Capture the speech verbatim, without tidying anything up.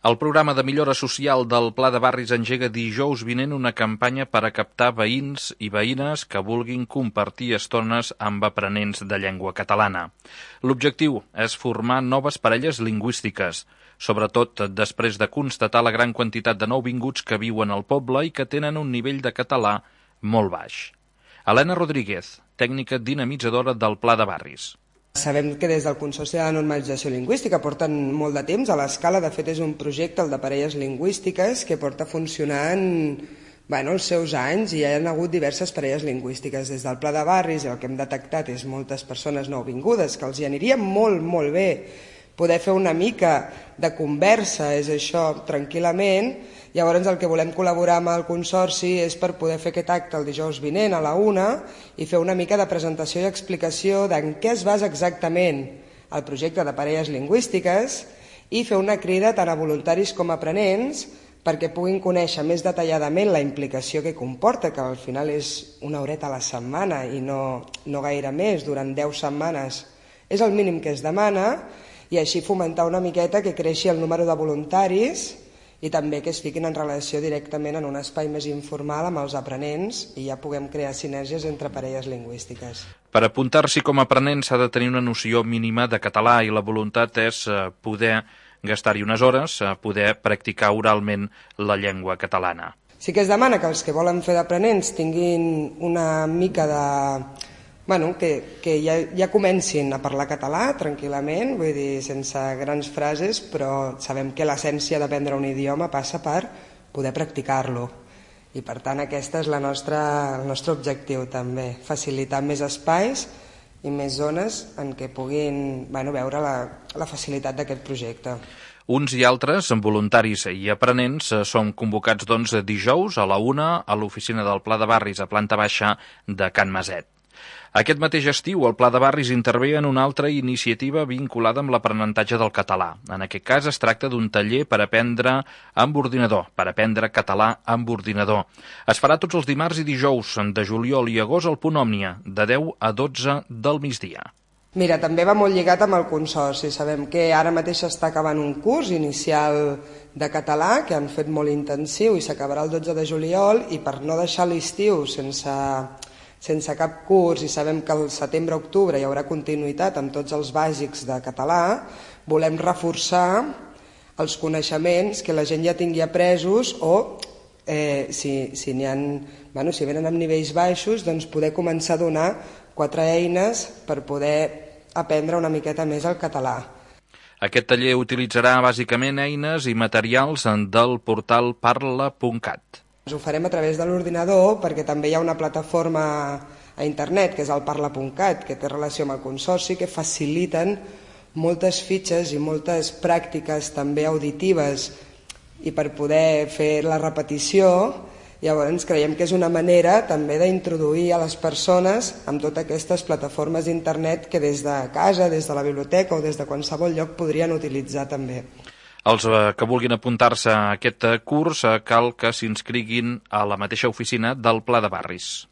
El programa de millora social del Pla de Barris engega dijous vinent una campanya per a captar veïns i veïnes que vulguin compartir estones amb aprenents de llengua catalana. L'objectiu és formar noves parelles lingüístiques, sobretot després de constatar la gran quantitat de nouvinguts que viuen al poble i que tenen un nivell de català molt baix. Helena Rodríguez, tècnica dinamitzadora del Pla de Barris. Sabem que des del Consorci de la Normalització Lingüística porten molt de temps a l'escala. De fet, és un projecte, el de parelles lingüístiques, que porta funcionant bueno, els seus anys i hi ha hagut diverses parelles lingüístiques. Des del Pla de Barris el que hem detectat és moltes persones nouvingudes que els hi aniria molt, molt bé poder fer una mica de conversa, és això, tranquil·lament. Llavors el que volem col·laborar amb el Consorci és per poder fer aquest acte el dijous vinent a la una i fer una mica de presentació i explicació d'en què es basa exactament el projecte de parelles lingüístiques i fer una crida tant a voluntaris com a aprenents perquè puguin conèixer més detalladament la implicació que comporta, que al final és una horeta a la setmana i no, no gaire més, durant deu setmanes és el mínim que es demana, i així fomentar una miqueta que creixi el número de voluntaris i també que es fiquin en relació directament en un espai més informal amb els aprenents i ja puguem crear sinergies entre parelles lingüístiques. Per apuntar-s'hi com a aprenent s'ha de tenir una noció mínima de català i la voluntat és poder gastar-hi unes hores, poder practicar oralment la llengua catalana. Sí que es demana que els que volen fer d'aprenents tinguin una mica de... Bueno, que, que ja, ja comencin a parlar català tranquil·lament, vull dir, sense grans frases, però sabem que l'essència d'aprendre un idioma passa per poder practicar-lo. I per tant aquest és la nostra, el nostre objectiu també, facilitar més espais i més zones en què puguin bueno, veure la, la facilitat d'aquest projecte. Uns i altres, voluntaris i aprenents, són convocats doncs, dijous a la una a l'oficina del Pla de Barris a planta baixa de Can Maset. Aquest mateix estiu, el Pla de Barris intervé en una altra iniciativa vinculada amb l'aprenentatge del català. En aquest cas es tracta d'un taller per aprendre amb ordinador, per aprendre català amb ordinador. Es farà tots els dimarts i dijous de juliol i agost al Punt Òmnia, de deu a dotze del migdia. Mira, també va molt lligat amb el Consorci. Sabem que ara mateix s'està acabant un curs inicial de català que han fet molt intensiu i s'acabarà el dotze de juliol i per no deixar l'estiu sense... sense cap curs i sabem que al setembre-octubre hi haurà continuïtat amb tots els bàsics de català, volem reforçar els coneixements que la gent ja tingui apresos o eh, si, si, n'hi ha, bueno, si venen amb nivells baixos, doncs poder començar a donar quatre eines per poder aprendre una miqueta més el català. Aquest taller utilitzarà bàsicament eines i materials del portal parla punt cat. Ho farem a través de l'ordinador perquè també hi ha una plataforma a internet que és el parla punt cat que té relació amb el Consorci que faciliten moltes fitxes i moltes pràctiques també auditives i per poder fer la repetició llavors creiem que és una manera també d'introduir a les persones amb totes aquestes plataformes d'internet que des de casa, des de la biblioteca o des de qualsevol lloc podrien utilitzar també. Els que vulguin apuntar-se a aquest curs cal que s'inscriguin a la mateixa oficina del Pla de Barris.